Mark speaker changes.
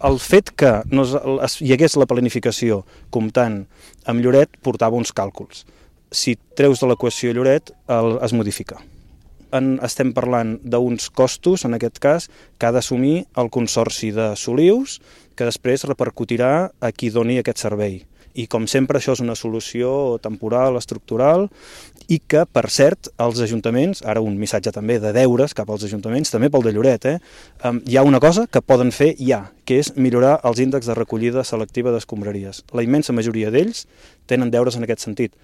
Speaker 1: El fet que hi hagués la planificació comptant amb Lloret portava uns càlculs. Si treus de l'equació Lloret, es modifica. Estem parlant d'uns costos, en aquest cas, que ha d'assumir el Consorci de Solius, que després repercutirà a qui doni aquest servei. I, com sempre, això és una solució temporal, estructural, i que, per cert, els ajuntaments, ara un missatge també de deures cap als ajuntaments, també pel de Lloret, hi ha una cosa que poden fer ja, que és millorar els índexs de recollida selectiva d'escombraries. La immensa majoria d'ells tenen deures en aquest sentit.